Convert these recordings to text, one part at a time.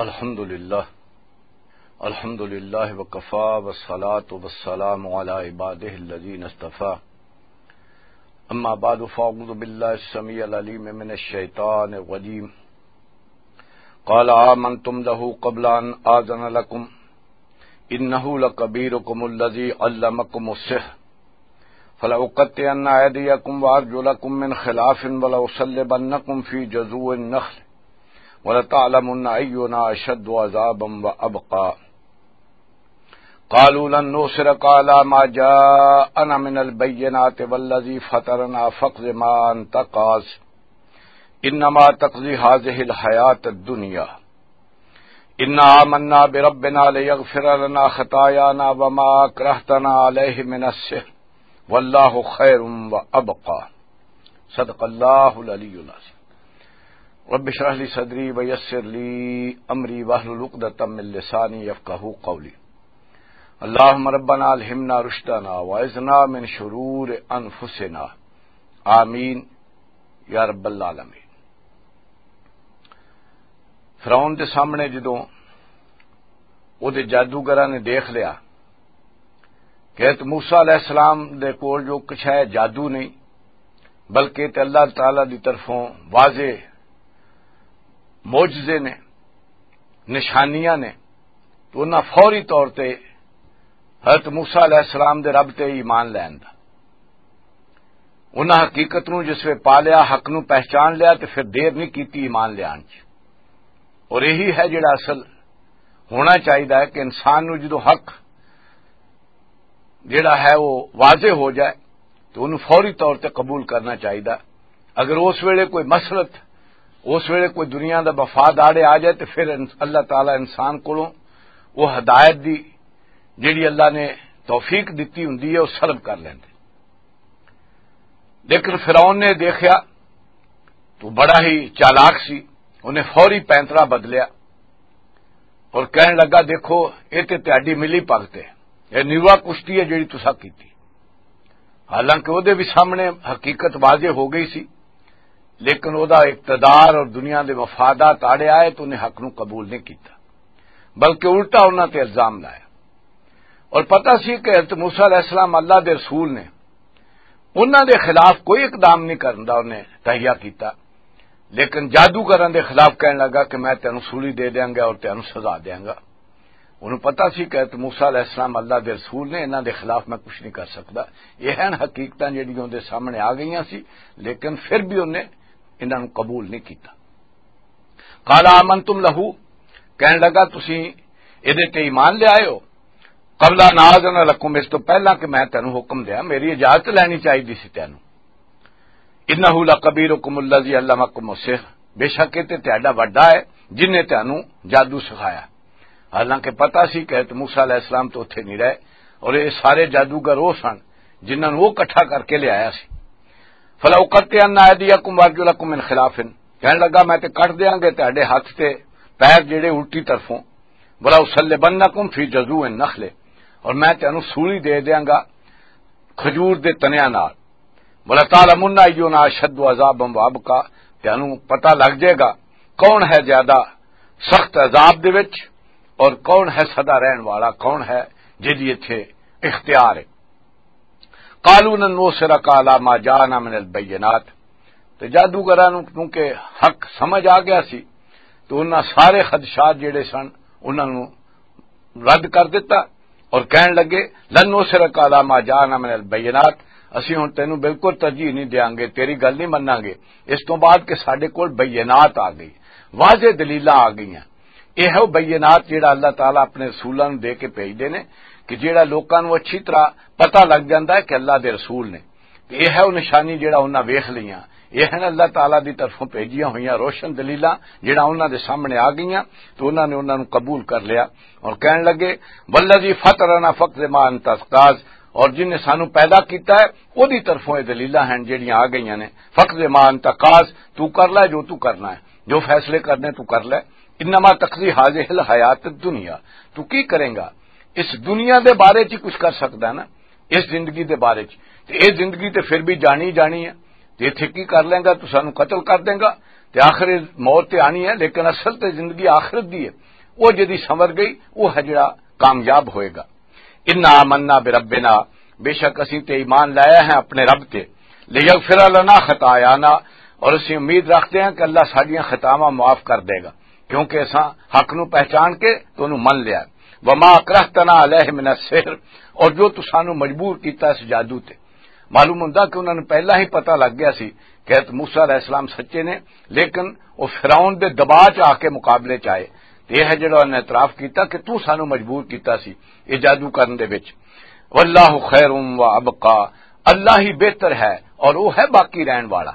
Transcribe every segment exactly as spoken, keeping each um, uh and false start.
الحمد لله. الحمد لله وكفى، والصلاة والسلام على عباده الذين اصطفى. أما بعد، فأعوذ بالله السميع العليم من الشيطان الرجيم. قال آمنتم له قبل أن آذن لكم، إنه لكبيركم الذي علمكم السحر، فلأقطعن أيديكم وأرجلكم من خلاف ولأصلبنكم في جذوع النخل ولتعلمن أينا أشد عذابا وأبقى. قالوا لن نؤثرك على ما جاءنا من البينات والذي فطرنا فاقض ما أنت قاض، إنما تقضي هذه الحياة الدنيا، إنا آمنا بربنا ليغفر لنا خطايانا وما أكرهتنا عليه من السحر، والله خير وأبقى. صدق الله العلي العظيم. رب اشرح لي صدري ويسر لي أمري واحلل عقدة من لساني يفقهوا قولي. اللهم ربنا ألهمنا رشدنا وأعذنا من شرور أنفسنا. آمين یا رب العالمین۔ فرعون دے سامنے جدوں او دے جادوگراں نے دیکھ لیا کہ حضرت موسیٰ علیہ السلام دے کول جو کچھ ہے جادو نہیں، بلکہ تے اللہ تعالیٰ دی طرفوں واضح معجزے نے، نشانیاں نے، تو انہاں فوری طور تے حضرت موسیٰ علیہ السلام دے رب تے ایمان لین دا۔ انہاں حقیقت نوں جس وے پا لیا، حق نوں پہچان لیا، تے پھر دیر نہیں کیتی ایمان لیان چ۔ اور یہی ہے جڑا اصل ہونا چاہیدا ہے کہ انسان نوں جدوں حق جڑا ہے وہ واضح ہو جائے تو انہوں فوری طور تے قبول کرنا چاہیدا۔ اگر اس ویلے کوئی مسلط، اس ویلے کوئی دنیا دا مفاد آڑے آ جائے تو پھر ان-، اللہ تعالیٰ انسان کولوں وہ ہدایت دی جڑی اللہ نے توفیق دتی ہوندی ہے، وہ سلب کر لیندے۔ لیکن فرعون نے دیکھیا تو بڑا ہی چالاک سی، انہیں فوری پینترا بدلیا اور کہن لگا، "دیکھو، یہ تے تہاڈی ملی پگت ہے، یہ نیوا کشتی ہے جڑی تسا کیتی۔" حالانکہ وہ دے بھی سامنے حقیقت واضح ہو گئی سی، لیکن وہ دا اقتدار اور دنیا دے مفادات آڑے آئے تو انہیں حق نو قبول نہیں کیتا، بلکہ الٹا انہاں تے الزام لایا۔ اور پتہ سی کہ حضرت موسیٰ علیہ السلام اللہ دے رسول نے، انہاں دے خلاف کوئی اقدام نہیں کرن دا، انہیں تہیہ کیتا، لیکن جادوگراں دے خلاف کہن لگا کہ میں تینوں سولی دے دیاں گا اور تینوں سزا دیاں گا۔ انہوں پتہ سی کہ حضرت موسیٰ علیہ السلام اللہ دے رسول نے، انہاں دے خلاف میں کچھ نہیں کر سکدا۔ یہ ہیں حقیقتاں جڑیاں دے سامنے آ گئیاں سی، لیکن پھر بھی انہیں انہاں نوں قبول نہیں کیتا۔ قال آمنتم لہو، کہن لگا، "تسی اے دے تے ایمان لے آئے ہو؟" "قبل ان آذن لکم"، اس تو پہلا کہ میں تینوں حکم دیاں، میری اجازت لینی چاہیدی سی تینوں۔ "انہ لکبیرکم الذی علمکم السحر"، بے شک یہ تے تہاڈا وڈا ہے جن نے تینوں جادو سکھایا۔ حالانکہ پتہ سی کہ حضرت موسیٰ علیہ السلام تو اتھے نہیں رہے اور یہ سارے جادوگر وہ سن جنہاں نوں وہ اکٹھا کر کے لے آیا سی۔ "فلأقطعن أيديكم وأرجلكم من خلاف"، کہن لگا، "میں تے کٹ دیاں گے تہاڈے ہاتھ تے پیر جڑے الٹی طرفوں، ولأصلبنكم في جذوع النخل"، اور میں تینوں سولی دے دیاں گا کھجور دے تنیاں نال، "ولتعلمن أينا أشد عذابا وأبقى"، تینوں پتہ لگ جائے گا کون ہے زیادہ سخت عذاب دے وچ اور کون ہے سدا رہن والا، کون ہے جدی اتھے اختیار ہے۔ "قالوا لن نؤثرك على ما جاءنا من البينات"، تے جادوگراں نوں کیونکہ حق سمجھ آ گیا سی، تو انہاں سارے خدشات جڑے سن، انہاں نوں رد کر دتا اور کہن لگے، "لن نؤثرك على ما جاءنا من البينات"، اسی ہن تینوں بالکل ترجیح نہیں دیاں گے، تیری گل نہیں مناں گے۔ اس تو بعد کہ ساڈے کول بینات آ گئی، واضح دلیلاں آ گئیاں۔ یہ ہے وہ بینات جڑا اللہ تعالیٰ اپنے رسولاں نوں دے کے بھیجدے نے، کہ جڑا لوکاں نوں اچھی طرح پتہ لگ جاندا ہے کہ اللہ دے رسول نے۔ تے یہ ہے وہ نشانی جڑا انہاں ویکھ لئیاں۔ یہ ہیں اللہ تعالیٰ دی طرفوں بھیجیاں ہوئیاں روشن دلیلاں جڑا انہاں دے سامنے آ گئیاں، تو انہاں نے انہاں نوں قبول کر لیا اور کہن لگے، "والذی فطرنا فاقض ما انت قاض"، اور جن نے سانوں پیدا کیتا ہے، او دی طرفوں یہ دلیلاں ہیں جڑیاں آ گئیاں نے، "فاقض ما انت قاض"، تو کر لے جو تو کرنا ہے، جو فیصلے کرنے تو کر لے، "انما تقضی هذه الحیات الدنیا"، تو کی کریں گا؟ اس دنیا دے بارے چ کچھ کر سکدا ہے نا، اس زندگی دے بارے چ۔ تے اے زندگی تے پھر بھی جانی جانی ہے۔ تے ایتھے کی کر لیں گا؟ تو سانو قتل کر دیں گا۔ تے آخر موت تے آنی ہے، لیکن اصل تے زندگی آخرت دی ہے۔ وہ جدی سنور گئی، وہ ہے جڑا کامیاب ہوئے گا۔ انا آمنا بربنا، بے شک اسیں تے ایمان لایا ہے اپنے رب تے، لیغفر لنا خطایانا، اور اسیں امید رکھتے ہیں کہ اللہ ساڈیاں خطاواں معاف کر دے گا، کیونکہ اساں حق نو پہچان کے تو انہوں من لیا۔ وما اکرہتنا علیہ من السحر، اور جو تسانو مجبور کیتا اس جادو تے۔ معلوم ہوندا کہ انہاں نوں پہلا ہی پتہ لگ گیا سی کہ حضرت موسیٰ علیہ السلام سچے نے، لیکن وہ فرعون دے دباء چ آ کے مقابلے چ آئے۔ تے یہ ہے جڑا انہاں نے اعتراف کیتا کہ تو سانو مجبور کیتا سی یہ جادو کرن دے وچ۔ واللہ خیر و ابقا، اللہ ہی بہتر ہے اور وہ ہے باقی رہن والا۔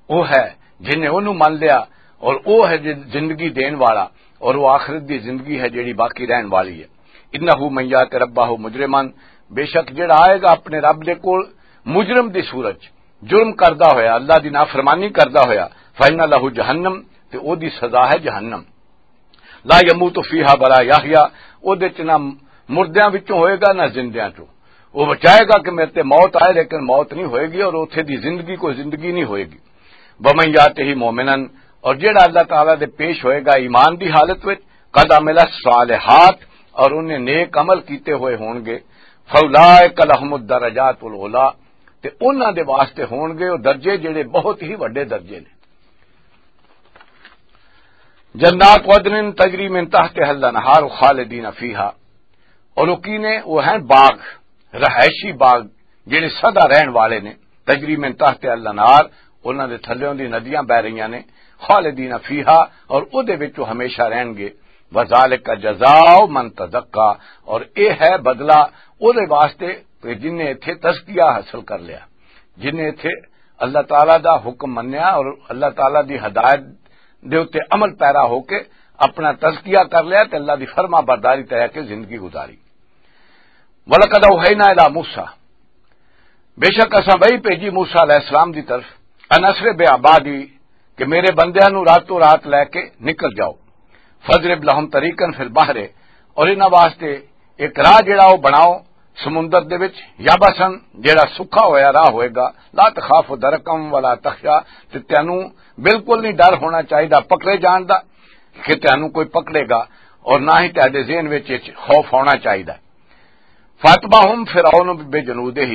وہ ہے جن نے انہوں من لیا، اور وہ ہے جن-، زندگی دین والا، اور وہ آخرت دی زندگی ہے جڑی باقی رہن والی ہے۔ انہ من یات ربہ مجرمن، بے شک جڑا آئے گا اپنے رب دے کول مجرم دی صورت چ، جرم کردا ہویا، اللہ دی نافرمانی کردا ہویا، فإن لہ جہنم، تے او دی سزا ہے جہنم۔ لا یموت فیہا ولا یحیا، او دے چ نہ مردیاں وچوں ہوئے گا نہ زندیاں چوں۔ وہ بچائے گا کہ میرے تے موت آئے، لیکن موت نہیں ہوئے گی، اور اوتھے دی زندگی کوئی زندگی نہیں ہوئے گی۔ ومن یاتہ مومنا، اور جڑا اللہ تعالیٰ دے پیش ہوئے گا ایمان دی حالت وچ، قد عمل الصالحات، اور انہیں نیک عمل کیتے ہوئے ہون گے، فاولئک لہم الدرجات العلی، تے انہاں دے واسطے ہون گے وہ درجے جڑے بہت ہی وڈے درجے نے۔ جنات عدن تجری من تحتها الانہار خالدین فیہا، اور وہ کی نے؟ وہ ہیں باغ، رہائشی باغ، جڑے سدا رہن والے نے۔ تجری من تحتها الانہار، انہاں دے تھلیوں دی ندیاں بہ رہیاں نے۔ خالدین فیہا، اور او دے وچ وہ ہمیشہ رہن گے۔ وذالک جزاء من تزکا، اور اے ہے بدلہ او دے واسطے کہ جن نے ایتھے تزکیہ حاصل کر لیا، جن نے ایتھے اللہ تعالیٰ دا حکم منیا اور اللہ تعالیٰ دی ہدایت دے اُتے عمل پیرا ہو کے اپنا تزکیہ کر لیا تے اللہ دی فرما برداری تے رہ کے زندگی گزاری۔ وَلَقَدْ أَوْحَيْنَا إِلَىٰ مُوسَىٰ، بے شک اساں وحی بھیجی موسیٰ علیہ السلام دی طرف، ان اسر بعبادی، کہ میرے بندیاں نو راتوں رات لے کے نکل جاؤ۔ فَاضْرِبْ لَهُمْ طَرِيقًا فِي الْبَحْرِ، اور انہاں واسطے ایک راہ جڑا وہ بناؤ سمندر دے وچ، یابسن، جڑا سکھا ہویا راہ ہوئے گا، لا تخاف درکم ولا تخشا، تے تینوں بالکل نہیں ڈر ہونا چاہیدا پکڑے جان دا کہ تینوں کوئی پکڑے گا، اور نہ ہی تہاڈے ذہن وچ اچ خوف ہونا چاہیدا۔ فاتبعہم فرعون بجنودہ،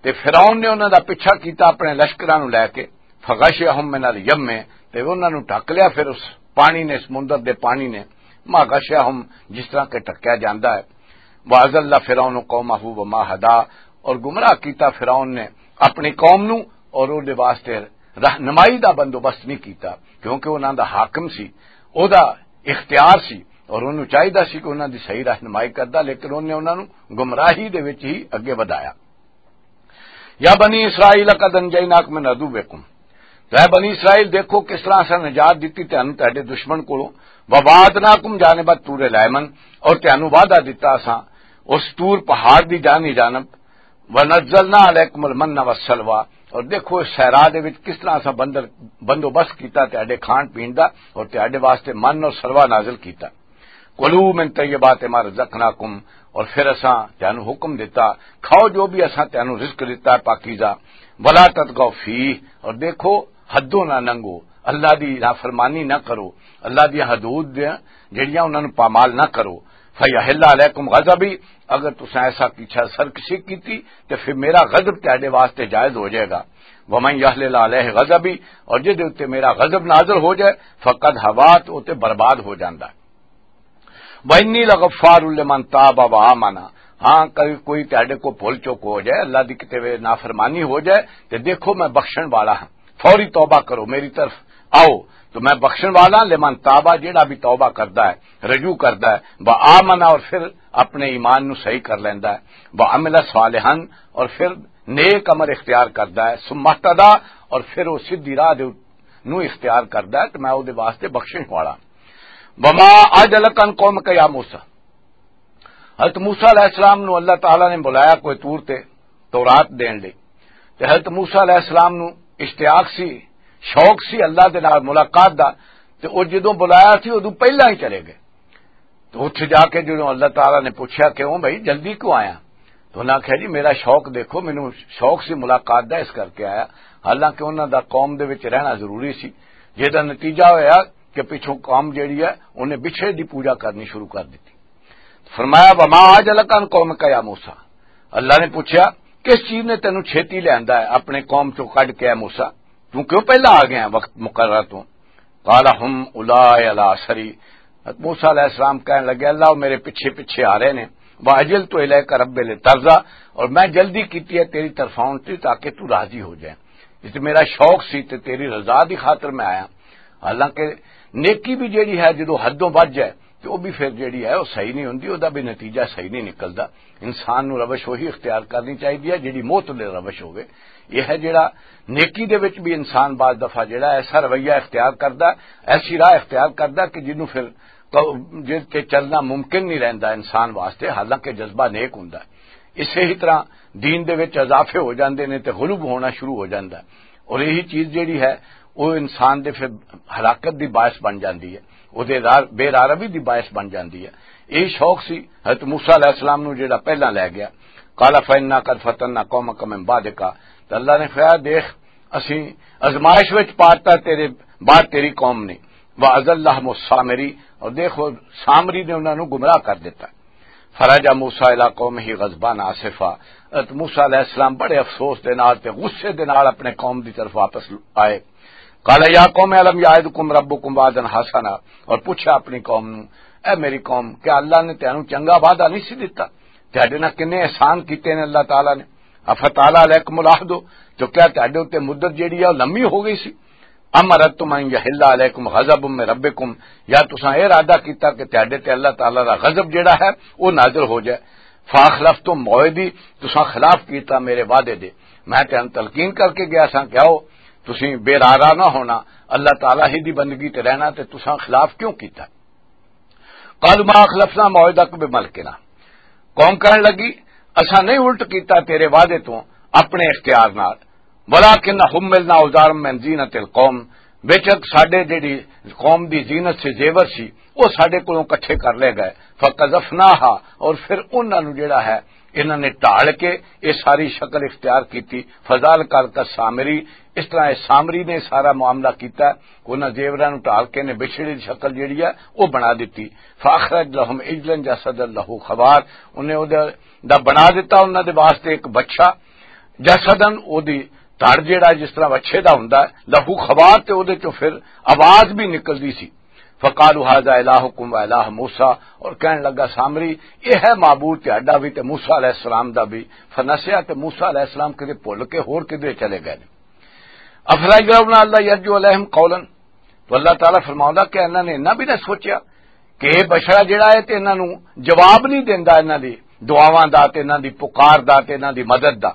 تے فرعون نے انہاں دا پیچھا کیتا اپنے لشکراں نوں لے کے، فغشیہم من الیمِ، تے انہاں نوں ڈھک لیا پھر اس پانی نے، سمندر دے پانی نے، ما غشیہم، جس طرح کہ ڈھکیا جاندا ہے۔ واضل فرعون قومہ وما ہدی، اور گمراہ کیتا فرعون نے اپنی قوم نوں، اور او دے واسطے رہنمائی دا بندوبست نہیں کیتا، کیونکہ انہاں دا حاکم سی، او دا اختیار سی، اور انہوں چاہیدا سی کہ انہاں دی صحیح رہنمائی کردا، لیکن انہوں نے انہاں نوں گمراہی دے وچ ہی اگے ودھایا۔ یا بنی اسرائیل قد انجیناکم من عدوکم، تو اے بنی اسرائیل، دیکھو کس طرح اساں نجات دتی تانوں تہاڈے دشمن کولوں۔ ووعدناکم جانب الطور الایمن، اور تانوں وعدہ دتا اساں اس طور پہاڑ دی جانی جانب۔ ونزلنا علیکم المن والسلوی، اور دیکھو اس صحرا دے وچ کس طرح اساں بندر، بندوبست کیتا تہاڈے کھان پین دا، اور تہاڈے واسطے من اور سلوہ نازل کیتا۔ کلوا من طیبات ما رزقناکم، اور پھر اساں تانوں حکم دتا، کھاؤ جو بھی اساں تانوں رزق دتا ہے پاکیزہ۔ ولا تطغوا فیہ، اور دیکھو حدوں نہ لنگھو، اللہ دی نافرمانی نہ کرو، اللہ دی حدود دیاں جڑیاں انہاں نوں پامال نہ کرو۔ فیحل علیکم غضبی، اگر تساں ایسا پیچھا سرکشی کیتی تے پھر میرا غضب تہاڈے واسطے جائز ہو جائے گا۔ ومن یحلل علیہ غضبی، اور جس دے اُتے میرا غضب نازل ہو جائے، فقد ہوا، تو اُتے برباد ہو جاندا ہے۔ وَإِنِّي لَغَفَّارٌ لِمَن تَابَ وَآمَنَ۔ ہاں، کبھی کوئی تہاڈے کو بھول چوک ہو جائے، اللہ دی کتے وے نافرمانی ہو جائے، تے دیکھو میں بخشن والا ہاں۔ فوری توبہ کرو، میری طرف آؤ، تو میں بخشن والا ہاں۔ لمن تابا، جیڑا بھی توبہ کردا ہے، رجوع کردا ہے، وآمن، اور پھر اپنے ایمان نو صحیح کر لیندا ہے، وعمل صالحا، اور پھر نیک عمل اختیار کردا ہے، ثم اہتدی، اور پھر وہ سیدھی راہ دے نو اختیار کردا ہے، تو میں او دے واسطے بخشش والا۔ وما اعجلک عن قومک یا موسیٰ۔ حضرت موسیٰ علیہ السلام نو اللہ تعالیٰ نے بلایا کوئی طور تے تورات دین لئی۔ تے حضرت موسیٰ علیہ السلام نو اشتیاق سی، شوق سی اللہ دے نال ملاقات دا، تے او جدوں بلایا سی، ادوں پہلاں ہی چلے گئے۔ تو اتھے جا کے جدوں اللہ تعالیٰ نے پوچھا کہ، "او بھائی، جلدی کیوں آیا؟" تو انہاں آکھیا، "جی، میرا شوق دیکھو، مینوں شوق سی ملاقات دا، اس کر کے آیا۔" حالانکہ انہاں دا قوم دے وچ رہنا ضروری سی، جس دا نتیجہ ہویا کہ پچھوں قوم جیڑی ہے، انہیں بچھڑے دی پوجا کرنی شروع کر دتی۔ فرمایا، "وما آج الکان قوم کا یا موسیٰ۔" اللہ نے پوچھا، "کس چیز نے تینوں چھیتی لیاندا ہے اپنے قوم چوں کڈ کے، اے موسیٰ؟ توں کیوں پہلا آ گیا ہے وقت مقرر تو؟" قال، "ہم اولئک علی اثری۔" موسیٰ علیہ السلام کہنے لگے، "اللہ، وہ میرے پیچھے پیچھے آ رہے نے۔ واجلت الیک رب لترضی، اور میں جلدی کیتی ہے تیری طرف آن تے تاکہ تو راضی ہو جائے۔ اس تے میرا شوق سی تے تیری رضا دی خاطر میں آیا۔" حالانکہ نیکی بھی جیڑی ہے، جدوں حدوں ودھ جائے، تے او بھی پھر جیڑی ہے، او صحیح نہیں ہوندی، او دا بھی نتیجہ صحیح نہیں نکلدا۔ انسان نوں روش وہی اختیار کرنی چاہیدی ہے جیڑی معتدل روش ہوے۔ یہ ہے جیڑا نیکی دے وچ بھی انسان بعض دفعہ جیڑا ایسا رویہ اختیار کردا، ایسی راہ اختیار کردا کہ جنوں پھر تو جس تے چلنا ممکن نہیں رہندا انسان واسطے، حالانکہ جذبہ نیک ہوندا ہے۔ اسے ہی طرح دین دے وچ اضافے ہو جاندے نے تے غلوب ہونا شروع ہو جاندا ہے۔ اور یہی چیز جیڑی ہے، وہ انسان دے پھر ہلاکت دی باعث بن جاندی ہے، وہ دے را-، بے راہ روی دی باعث بن جاندی ہے۔ یہی شوق سی حضرت موسیٰ علیہ السلام نو جیڑا پہلا لے گیا۔ "قال فإنا قد فتنا قومك من بعدك۔" تو اللہ نے فرمایا، "دیکھ، اسیں آزمائش وچ پاتا تیرے بعد تیری قوم نے۔" "وأضلهم السامري۔" اور دیکھو، سامری نے انہاں نو گمراہ کر دیتا۔ فرجع موسیٰ الی قومہ غضبان آسفا۔ حضرت موسیٰ علیہ السلام بڑے افسوس دے نال تے غصے دے نال اپنے قوم دی طرف واپس آئے۔ قال یا قوم الم یعدکم ربکم وعدا حسنا، اور پوچھا اپنی قوم نو، "اے میری قوم، کیا اللہ نے تینوں چنگا وعدہ نہیں سی دتا؟ تہاڈے نال کنے احسان کیتے نے اللہ تعالیٰ نے؟ افطال علیکم العہد، جو کیا تہاڈے اُتے مدت جیڑی ہے او لمبی ہو گئی سی؟ ام اردتم ان یحل علیکم غضب من ربکم، یا تساں اے ارادہ کیتا کہ تہاڈے تے اللہ تعالیٰ دا غضب جیڑا ہے او نازل ہو جائے؟ فاخلفتم موعدی، تساں خلاف کیتا میرے وعدے دے۔ میں تے تلقین کر کے گیا ساں کہ آؤ، تسیں بے راہ نہ ہونا، اللہ تعالیٰ ہی دی بندگی تے رہنا، تے تساں خلاف کیوں کیتا؟" قالوا ما اخلفنا موعدک بملکنا۔ قوم کہن لگی، "اساں نہیں الٹ کیتا تیرے وعدے تو اپنے اختیار نال، ولکن حملنا اوزارا من زینت القوم، بے شک ساڈے جڑی قوم دی زینت سے زیور سی، وہ ساڈے کولوں کٹھے کر لے گئے، فقذفناها، اور پھر انہاں نو جڑا ہے، انہاں نے ڈھال کے یہ ساری شکل اختیار کیتی، فذالک السامری۔" اس طرح اس سامری نے سارا معاملہ کیتا، انہاں زیوراں نو ڈھال کے نے بچھڑے دی شکل جڑی ہے، وہ بنا دتی۔ فاخرج لهم عجلا جسدا له خوار، انہیں او دا بنا دیتا انہاں دے واسطے ایک بچہ، جسدن، او دی تڑ جیڑا جس طرح بچے دا ہوندا ہے، لہو خوار، تے او دے چوں پھر آواز بھی نکلدی سی۔ فقالوا هذا الہکم و الہ موسیٰ، اور کہن لگا سامری، یہ ہے معبود تہاڈا بھی تے موسیٰ علیہ السلام دا بھی۔ فنسیا، تے موسیٰ علیہ السلام کدے بھول کے ہور کدے چلے گئے نے۔ افلا یرون الا یرجو علیہم قولا، تو اللہ تعالیٰ فرماؤندا کہ انہاں نے انہاں بھی نہ سوچیا کہ یہ بشرا جڑا ہے تے انہاں نوں جواب نہیں دیندا انہاں دی دعاواں دا تے انہاں دی پکار دا تے انہاں دی مدد دا۔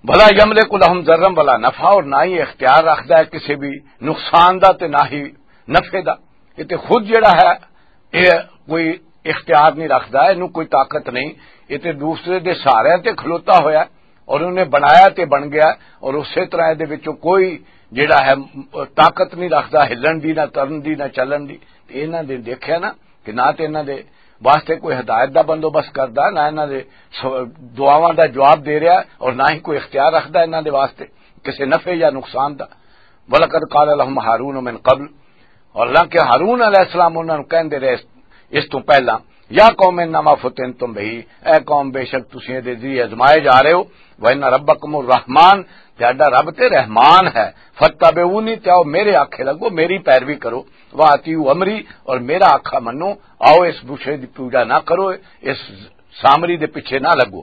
ولا یملک لهم ضرا ولا نفعا، اور نہ ہی اختیار رکھدا ہے کسی بھی نقصان دا تے نہ ہی نفع دا۔ یہ تے خود جڑا ہے، یہ کوئی اختیار نہیں رکھدا، اینوں کوئی طاقت نہیں۔ یہ تے دوسرے دے سہارے تے کھلوتا ہویا ہے اور انہیں بنایا تے بن گیا، اور اسی طرح دے وچوں کوئی جڑا ہے طاقت نہیں رکھدا ہلن دی، نہ ترن دی، نہ چلن دی۔ تے انہاں دے دیکھیا نا کہ نہ تے انہاں دے واسطے کوئی ہدایت دا بندوبست کردا، نہ انہاں دے س-، دعاواں دا جواب دے رہا، اور نہ ہی کوئی اختیار رکھدا انہاں دے واسطے کسے نفع یا نقصان دا۔ وَلَقَدْ قَالَ لَهُمْ هَارُونُ مِنْ قَبْلُ، اور حالانکہ ہارون علیہ السلام انہاں نوں کہندے رہے اس تو پہلا، "یا قوم انما فتنتم بہ"، اے قوم، بے شک تسی دے ذریعے آزمائے جا رہے ہو، "وان ربکم الرحمن"، تہاڈا رب تے رحمان ہے، "فاتبعونی"، تے آؤ میرے آکھے لگو، میری پیروی کرو، "واطیعوا امری"، اور میرا آکھا منو، آؤ اس بشے دی پوجا نہ کرو، اس سامری دے پیچھے نہ لگو۔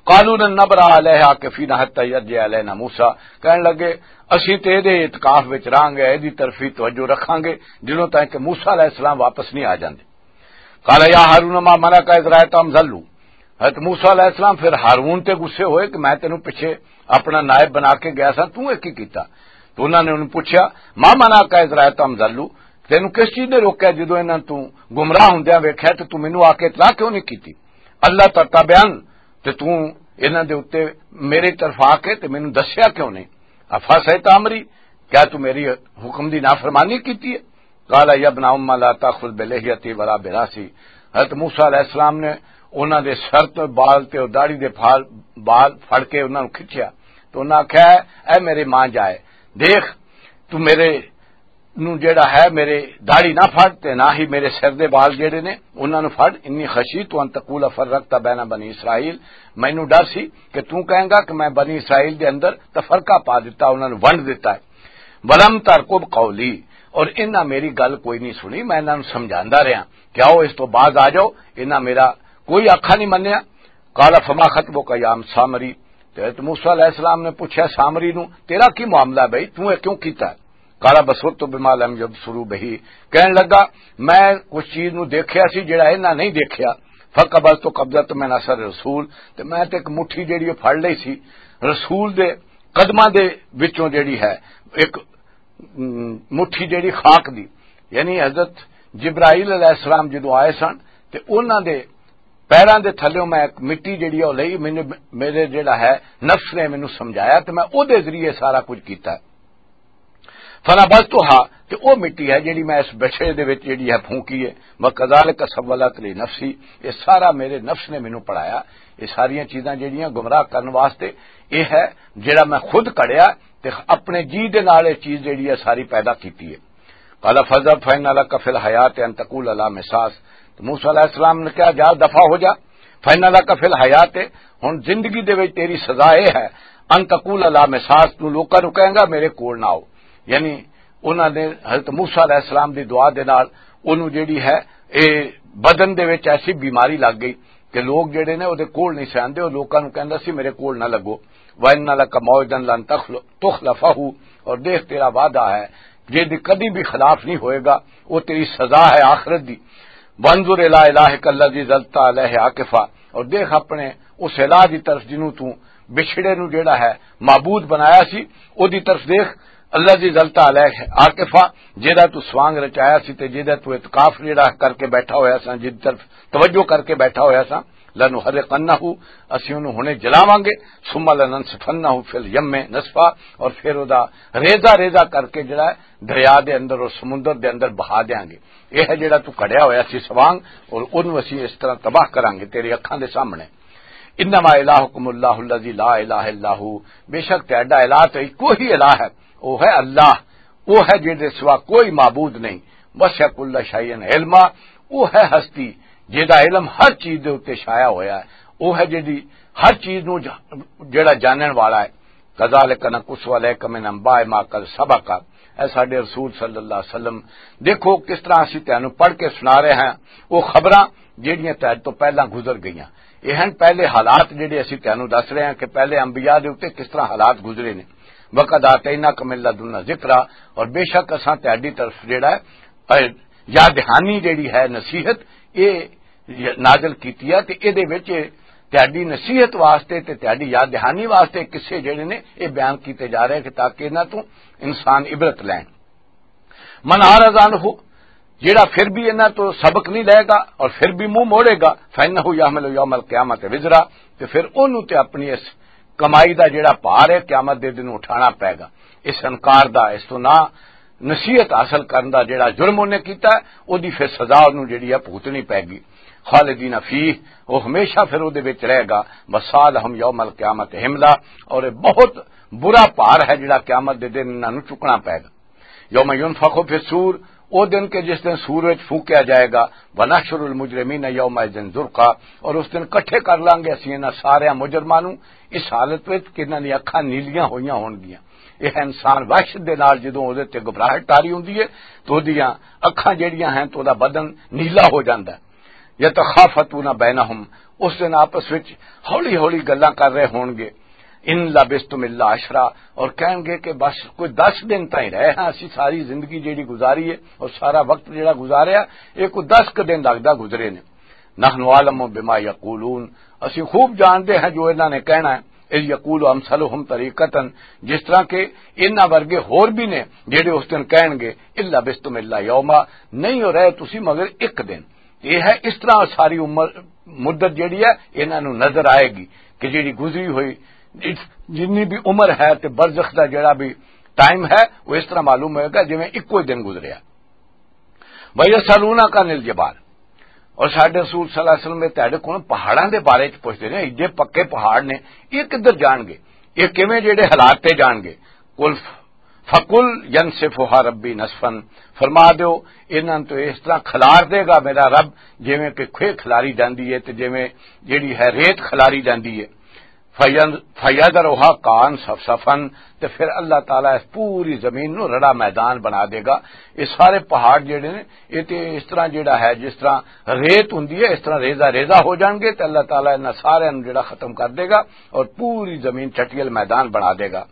قالوا لن نبرح علیہ عاکفین حتی یرجع الینا موسیٰ، کہن لگے، "اسی تے دے اعتکاف وچ رہاں گے، اے دی طرفی توجہ رکھاں گے، جنوں تائیں کہ موسیٰ علیہ السلام واپس نہیں آ جاندے۔" قال یا ہارون ما منعک اذ رأیتہم ضلوا۔ حضرت موسیٰ علیہ السلام پھر ہارون تے غصے ہوئے کہ میں تینوں پیچھے اپنا نائب بنا کے گیا سا، توں اے کی کیتا؟ تو انہاں نے انہوں پوچھا، "ما منعک اذ رأیتہم ضلوا؟" تینوں کس چیز نے روکیا جدوں انہاں تو گمراہ ہوندیاں ویکھیا تے تو مینوں آ کے اطلاع کیوں نہیں کیتی؟ "اللہ تتبعن"، تے تو انہاں دے اُتے میرے طرف آ کے تے مینوں دسیا کیوں نہیں؟ "افعصیت امری"، کیا تو میری حکم دی نافرمانی کیتی ہے؟ قال یا ابن ام لا تاخذ بلحیتی ولا براسی۔ حضرت موسیٰ علیہ السلام نے انہاں دے سر تے بال تے او داڑھی دے پھال، بال پھڑ کے انہاں نوں کھچیا۔ تو انہاں آکھیا، "اے میرے ماں جائے، دیکھ، تو میرے نو جڑا ہے، میرے داڑھی نہ پھڑ تے نہ ہی میرے سر دے بال جڑے نے انہاں نو پھڑ۔ انی خشیت ان تقول فرقت بین بنی اسرائیل، مینوں ڈر سی کہ توں کہیں گا کہ میں بنی اسرائیل دے اندر تفرقہ پا دتا، انہاں نو ونڈ دتا ہے۔ ولم ترقب قولی، اور انہاں میری گل کوئی نہیں سنی، میں انہاں نو سمجھاندا رہیا کہ آؤ اس تو باز آ جاؤ، انہاں میرا کوئی آکھا نہیں منیا۔ قال فما خطبک یا سامری، تے حضرت موسیٰ علیہ السلام نے پوچھا سامری نو، تیرا کی معاملہ ہے بھائی، تو یہ کیوں کیتا ہے؟ قال بصرت بما لم یبصروا بہ، کہن لگا، میں کچھ چیز نو دیکھیا سی جڑا انہاں نہیں دیکھیا۔ فقبضت قبضۃ من اثر رسول، تے میں تے ایک مٹھی جڑی پھڑ لئی سی رسول دے قدماں دے وچوں، جڑی ہے ایک م، مٹھی جڑی خاک دی، یعنی حضرت جبرائیل علیہ السلام جدوں آئے سن تے انہاں دے پیراں دے تھلیوں میں ایک مٹی جڑی ہے او لئی، مینوں، میرے جڑا ہے نفس نے مینوں سمجھایا تے میں او دے ذریعے سارا کچھ کیتا ہے۔ فنبذتها، تے او مٹی ہے جڑی میں اس بچھڑے دے وچ جڑی ہے پھونکی ہے۔ وکذالک سولت لی نفسی، یہ سارا میرے نفس نے مینوں پڑھایا۔ یہ ساریاں چیزاں جڑیاں گمراہ کرن واسطے، یہ ہے جڑا میں خود کڑیا تے اپنے جی دے نال یہ چیز جڑی ہے ساری پیدا کیتی ہے۔ قال فاذهب فإن لك في الحياة أن تقول لا مساس۔ تو موسیٰ علیہ السلام نے کہا، جا دفع ہو جا، فإن لك في الحياة، ہن زندگی دے وچ تیری سزا اے ہے، ان تقول لا مساس، تو لوکاں نوں کہیں گا میرے کول نہ آؤ۔ یعنی انہاں نے حضرت موسیٰ علیہ السلام دی دعا دے نال اونوں جڑی ہے، اے بدن دے وچ ایسی بیماری لگ گئی کہ لوگ جڑے نے او دے کول نہیں سہندے، او لوکاں نوں کہندا سی میرے کول نہ لگو۔ وَإِنَّ لَكَ مَوْعِدًا لَّن تَخْلَ-، تُخْلَفَهُ، اور دیکھ تیرا وعدہ ہے جے دی کدی بھی خلاف نہیں ہوئے گا، وہ تیری سزا ہے آخرت دی۔ وَانظُرْ إِلَىٰ إِلَٰهِكَ الَّذِي ظَلْتَ عَلَيْهِ عَاكِفًا، اور دیکھ اپنے اس الہ دی طرف جنوں تو بچھڑے نو جڑا ہے معبود بنایا سی، او دی طرف دیکھ، الذی ظلت علیہ عاکفا، جیدا تو سوانگ رچایا سی تے جیدا تو اعتکاف جیڑا کر کے بیٹھا ہویا سا، جیدی طرف توجہ کر کے بیٹھا ہویا سا، لنحرقنہ، اسی اونوں ہنے جلاواں گے، ثم لننسفنہ فی الیم نسفا، اور پھر او دا ریزہ ریزہ کر کے جڑا ہے دریا دے اندر اور سمندر دے اندر بہا دیاں گے۔ یہ ہے جڑا تو کھڑیا ہویا سی سوانگ، اور اونوں اسی اس طرح تباہ کراں گے تیری اکھاں دے سامنے۔ انما الہکم اللہ الذی لا الہ الا ہو، بے شک تہاڈا الہ تے اکو ہی الہ ہے، وہ ہے اللہ، وہ ہے جہدے سوا کوئی معبود نہیں۔ وسع کل شیء علما، وہ ہے ہستی جہدا علم ہر چیز دے اُتے چھایا ہویا ہے، وہ ہے جہدی ہر چیز نو ج-، جہڑا جانن والا ہے۔ کذالک نقص علیک من انباء ما قد سبق، اے ساڈے رسول صلی اللہ علیہ وسلم، دیکھو کس طرح اسی تینوں پڑھ کے سنا رہے ہیں وہ خبراں جہڑیاں تہاڈے تو پہلاں گزر گئیاں۔ یہ ہیں پہلے حالات جہڑے اسی تینوں دس رہے ہیں کہ پہلے انبیاء دے اُتے کس طرح حالات گزرے نے۔ وقد آتیناک من لدنا ذکرا، اور بے شک اساں تہاڈی طرف جہڑا ہے، اے، یاد دہانی جہڑی ہے نصیحت، یہ نازل کیتی ہے تے اے دے وچ تہاڈی نصیحت واسطے تے تہاڈی یاد دہانی واسطے قصے جہڑے نے یہ بیان کیتے جا رہے ہیں کہ تاکہ انہاں تو انسان عبرت لین۔ من اعرض عنہ، جیڑا پھر بھی انہاں تو سبق نہیں لے گا اور پھر بھی منہ موڑے گا، فإنہ یحمل یوم القیامۃ وزرا، تے پھر اونوں تے اپنی اس کمائی دا جیڑا بھار ہے قیامت دے دن اٹھانا پے گا۔ اس انکار دا، اس تو نہ نصیحت حاصل کرن دا جیڑا جرم انہیں کیتا ہے، او دی پھر سزا انہوں جیڑی ہے بھگتنی پے گی۔ خالدین فیہ، وہ ہمیشہ پھر او دے وچ رہے گا۔ وسالہم یوم القیامت حملا، اور یہ بہت برا بھار ہے جیڑا قیامت دے دن انہاں نوں چکنا پے گا۔ یوم ینفخ فی الصور، او دن کہ جس دن سور وچ پھونکیا جائے گا، ونحشر المجرمین یومئذ زرقا، اور اس دن کٹھے کر لانگے اسی انہاں سارے مجرماں نوں اس حالت وچ کہ انہاں دی اکھاں نیلیاں ہوئیاں ہون گیاں۔ یہ انسان وحشت دے نال جدوں او دے تے گھبراہٹ طاری ہوندی ہے تو او دیاں اکھاں جڑیاں ہیں تو او دا بدن نیلا ہو جاندا ہے۔ یتخافتون بینہم، اس دن آپس وچ ہولی ہولی گلاں کر رہے ہون گے۔ ان لبثتم الا عشرا، اور کہیں گے کہ بس کوئی دس دن تائیں رہے ہاں، اسی ساری زندگی جیڑی گزاری ہے اور سارا وقت جیڑا گزاریا، یہ کوئی دس ک دن لگدا گزرے نے۔ نحن عالم بما یقولون، اسی خوب جانتے ہیں جو انہاں نے کہنا ہے۔ اذ یقول امثلہم طریقتاً، جس طرح کہ انہاں ورگے ہور بھی نے جیڑے اس دن کہن گے، ان لبثتم الا یوما، نہیں ہو رہے تسی مگر ایک دن۔ یہ ہے اس طرح ساری عمر، مدت جیڑی ہے، انہاں نوں نظر آئے گی کہ جیڑی گزری ہوئی، جتنی بھی عمر ہے تے برزخ دا جیڑا بھی ٹائم ہے، وہ اس طرح معلوم ہوئے گا جویں اکو ہی دن گزریا۔ وَيَسْأَلُونَكَ عَنِ الْجِبَالِ، اور ساڈے رسول صلی اللہ علیہ وسلم نے تہاڈے کولوں پہاڑاں دے بارے چ پوچھدے نے، ایڈے پکے پہاڑ نے، یہ کدھر جان گے؟ یہ کیویں جیڑے حالات تے جان گے؟ قُلْ فقل ينسفها ربي نسفا، فرما دیو، انہاں تو اس طرح کھلار دے گا میرا رب، جویں کہ کھوئے کھلاری جاندی ہے تے جویں جیڑی ہے ریت کھلاری جاندی ہے۔ فین-، فیذرها قاعا صفصفا، تے پھر اللہ تعالیٰ اس پوری زمین نو رڑا میدان بنا دے گا۔ یہ سارے پہاڑ جڑے نے، یہ تے اس طرح جڑا ہے، جس طرح ریت ہوندی ہے، اس طرح ریزہ ریزہ ہو جان گے، تے اللہ تعالیٰ انہاں سارے نو جڑا ختم کر دے گا اور پوری زمین چٹیل میدان بنا دے گا۔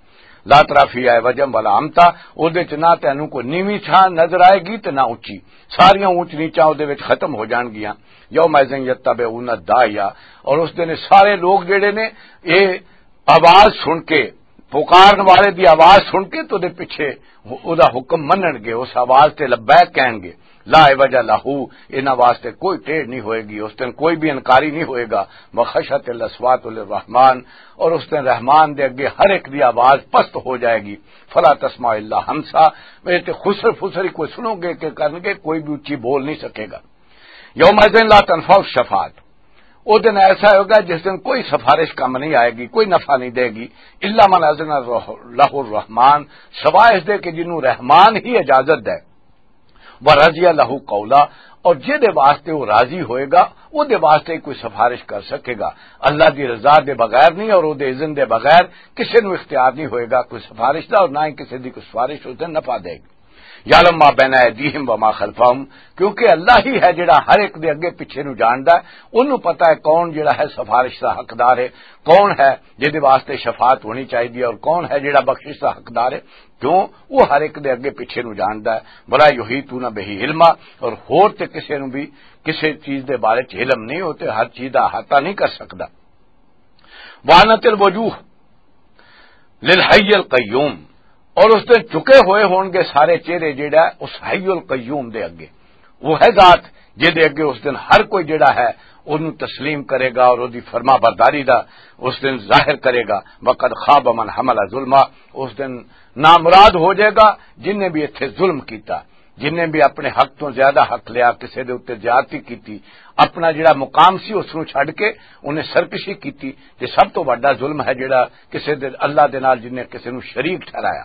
لا ترى فيها عوجا ولا امتا، او دے چ نہ تینوں کوئی نیوی چھاں نظر آئے گی تے نہ اچی، ساریاں اونچ نیچاں او دے وچ ختم ہو جان گیاں۔ یومئذ یتبعون الداعی، اور اس دن سارے لوگ جڑے نے، اے آواز سن کے، پکارن والے دی آواز سن کے تو دے پیچھے او دا حکم منن گے، اس آواز تے لبیک کہن گے۔ لا عوج لہ، انہاں واسطے کوئی ٹیڑھ نہیں ہوئے گی، اس دن کوئی بھی انکاری نہیں ہوئے گا۔ وخشعت الاصوات للرحمن، اور اس دن رحمان دے اگے ہر ایک دی آواز پست ہو جائے گی۔ فلا تسمع الا ہمسا، اے تے خسر فسر ہی کوئی سنو گے کہ کرن گے، کوئی بھی اچھی بول نہیں سکے گا۔ یومئذ لا تنفع الشفاعت، او دن ایسا ہوگا جس دن کوئی سفارش کم نہیں آئے گی، کوئی نفع نہیں دے گی۔ الا من اذن لہ الرحمن، سوائے اس دے کہ جنوں رحمان ہی اجازت دے۔ ورضی لہ قولا، اور جے دے واسطے وہ راضی ہوئے گا، وہ دے واسطے کوئی سفارش کر سکے گا۔ اللہ دی رضا دے بغیر نہیں اور وہ دے اذن دے بغیر کسے نوں اختیار نہیں ہوئے گا کوئی سفارش دا، اور نہ ہی کسے دی کوئی سفارش اس دن نفع دے گی۔ یعلم ما بین ایدیہم وما خلفہم، کیونکہ اللہ ہی ہے جڑا ہر ایک دے اگے پیچھے نوں جاندا ہے، اونوں پتہ ہے کون جڑا ہے سفارش دا حقدار ہے، کون ہے جے دے واسطے شفاعت ہونی چاہیے اور کون ہے جڑا بخشش دا حقدار ہے۔ کیوں؟ وہ ہر ایک دے اگے پیچھے نوں جاندا ہے۔ ولا یحیطون بہ علما، اور ہور تے کسے نوں بھی کسے چیز دے بارے چ علم نہیں، ہوتے ہر چیز دا احاطہ نہیں کر سکدا۔ وعنت الوجوہ للحی القیوم، اور اس دن چکے ہوئے ہون گے سارے چہرے جیڑا ہے اس حی القیوم دے اگے۔ وہ ہے ذات جے دے اگے اس دن ہر کوئی جیڑا ہے انہوں تسلیم کرے گا اور اودی فرما برداری دا اس دن ظاہر کرے گا۔ وقد خاب من حمل ظلما، اس دن نامراد ہو جائے گا جن نے بھی اتھے ظلم کیتا، جن نے بھی اپنے حق تو زیادہ حق لیا، کسے دے اُتے زیادتی کیتی، اپنا جڑا مقام سی اس نوں چھڈ کے انہیں سرکشی کیتی۔ تے سب تو وڈا ظلم ہے جڑا کسے دے، اللہ دے نال جن نے کسے نوں شریک ٹھہرایا۔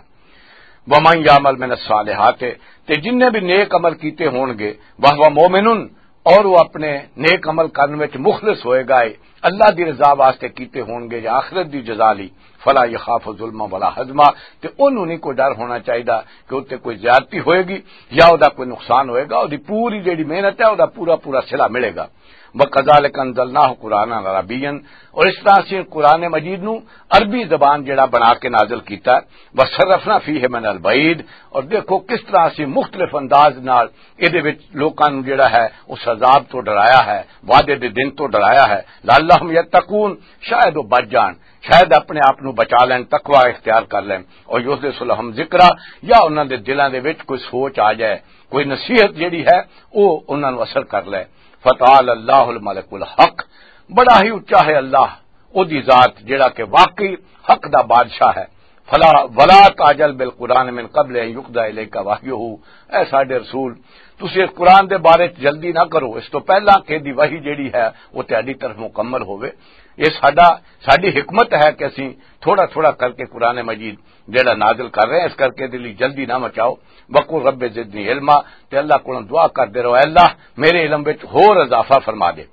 ومن یعمل من الصالحات، تے جن نے بھی نیک عمل کیتے ہون گے، وہو مومن، اور وہ اپنے نیک عمل کرنے وچ مخلص ہوئے گا، اللہ دی رضا واسطے کیتے ہون گے یا آخرت دی جزا لی، فلا یخاف ظلما ولا ہضما، تے انہوں نہیں کوئی ڈر ہونا چاہیدا کہ اُتے کوئی زیادتی ہوئے گی یا او دا کوئی نقصان ہوئے گا۔ او دی پوری جڑی محنت ہے، او دا پورا پورا صلہ ملے گا۔ وَكَذَلِكَ أَنزَلْنَاهُ قُرْآنًا عَرَبِيًّا، اور اس طرح سے قرآن مجید نو عربی زبان جڑا بنا کے نازل کیتا ہے۔ وَصَرَّفْنَا فِيهِ مِنَ الْوَعِيدِ، اور دیکھو کس طرح سے مختلف انداز نال اے دے وچ لوکاں نو جڑا ہے اس عذاب تو ڈرایا ہے، وعدے دے دن تو ڈرایا ہے۔ لَعَلَّهُمْ يَتَّقُونَ، شاید وہ بچ جان، شاید اپنے آپ نو بچا لین، تقوی اختیار کر لین۔ اور یحدث لهم ذکرا، یا انہاں دے دلاں دے وچ کوئی سوچ آ جائے، کوئی نصیحت جڑی ہے او انہاں نو اثر کر لے۔ فتعال اللہ الملک الحق، بڑا ہی اچا ہے اللہ، او دی ذات جڑا کہ واقعی حق دا بادشاہ ہے۔ فلا ولا تعجل بالقرآن من قبل ان یقضى الیک وحیہ، اے ساڈے رسول، تسی اس قرآن دے بارے چ جلدی نہ کرو، اس تو پہلا کہ دی وحی جڑی ہے وہ تہاڈی طرف مکمل ہوئے۔ یہ ساڈا، ساڈی حکمت ہے کہ اسی تھوڑا تھوڑا کر کے قرآن مجید جڑا نازل کر رہے ہیں، اس کر کے دلی جلدی نہ مچاؤ۔ وقل رب زدنی علما، تے اللہ کو دعا کر دے رہو، "اے اللہ، میرے علم وچ ہور اضافہ فرما دے۔"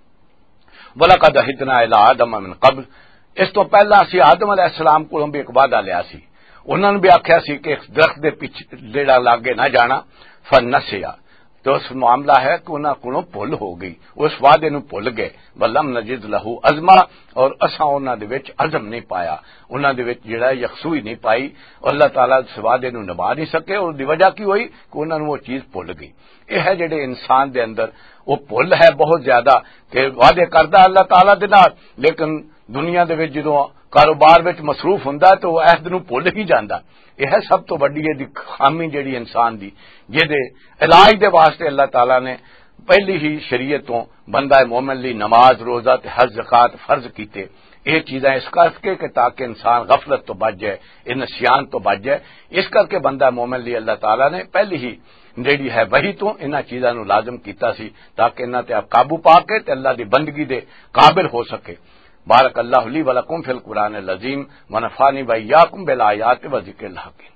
وَلَقَدْ عَهِدْنَا إِلَىٰ آدَمَ مِنْ قَبْلُ، اس تو پہلا اسی آدم علیہ السلام کو بھی ایک وعدہ لیا سی، انہوں نے بھی آکھیا سی کہ اس درخت دے پیچھے جڑا لاگے نہ جانا، فنسیا، تو اس معاملہ ہے کہ انہاں کولوں بھل ہو گئی، اس وعدے نوں بھل گئے۔ وَلَمْ نَجِدْ لَهُ عَزْمًا، اور اساں انہاں دے وچ عزم نہیں پایا، انہاں دے وچ جڑا ہے یکسوئی نہیں پائی، اور اللہ تعالیٰ اس وعدے نوں نبھا نہیں سکے۔ اور دی وجہ کی ہوئی؟ کہ انہاں نوں وہ چیز بھل گئی۔ یہ ہے جڑے انسان دے اندر وہ بھل ہے بہت زیادہ، کہ وعدے کردا اللہ تعالیٰ دے نال، لیکن دنیا دے وچ جدوں کاروبار وچ مصروف ہوندا ہے تو وہ عہد نوں بھل ہی جاندا۔ یہ ہے سب تو وڈی یہ دی خامی جڑی انسان دی، جے دے علاج دے واسطے اللہ تعالیٰ نے پہلی ہی شریعت تو بندہ مومن لی نماز، روزہ تے حج زکوٰۃ فرض کیتے۔ یہ چیزاں اس کر کے کہ تاکہ انسان غفلت تو بچ جائے، یہ نسیان تو بچ جائے۔ اس کر کے بندہ مومن لی اللہ تعالیٰ نے پہلی ہی جڑی ہے وحی تو انہاں چیزاں نوں لازم کیتا سی تاکہ انہاں تے آپ قابو پا کے تے اللہ دی بندگی دے قابل ہو سکے۔ بارک اللہ لی ولکم فی القرآن العظیم، ونفعنی وإیاکم بالآیات و ذکر الحکیم۔